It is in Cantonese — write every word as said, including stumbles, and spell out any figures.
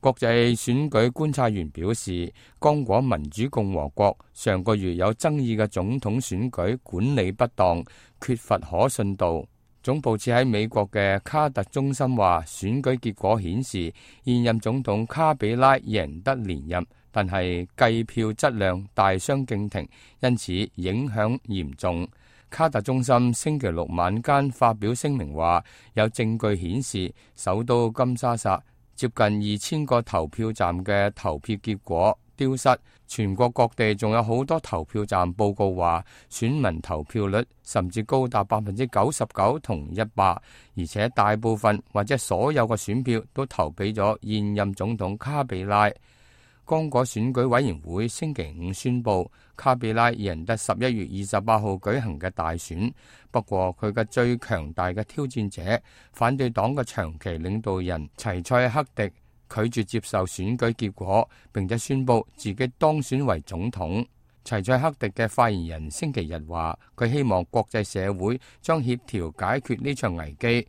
國際選舉觀察員表示，剛果民主共和國上個月有爭議嘅總統選舉管理不當，缺乏可信度。總部設喺美國嘅卡特中心話，選舉結果顯示現任總統卡比拉贏得連任，但係計票質量大相徑庭，因此影響嚴重。卡特中心星期六晚間發表聲明話，有證據顯示首都金沙薩接近二千個投票站嘅投票結果丟失，全國各地仲有好多投票站報告話選民投票率甚至高達百分之九十九同一百，而且大部分或者所有嘅選票都投俾咗現任總統卡比拉。剛果選舉委員會星期五宣布，卡比拉贏得十一月二十八號舉行嘅大選，不過佢嘅最強大嘅挑戰者反對黨嘅長期領導人齊塞克迪拒絕接受選舉結果，並且宣布自己當選為總統。齊塞克迪嘅發言人星期日話，佢希望國際社會將協調解決呢場危機。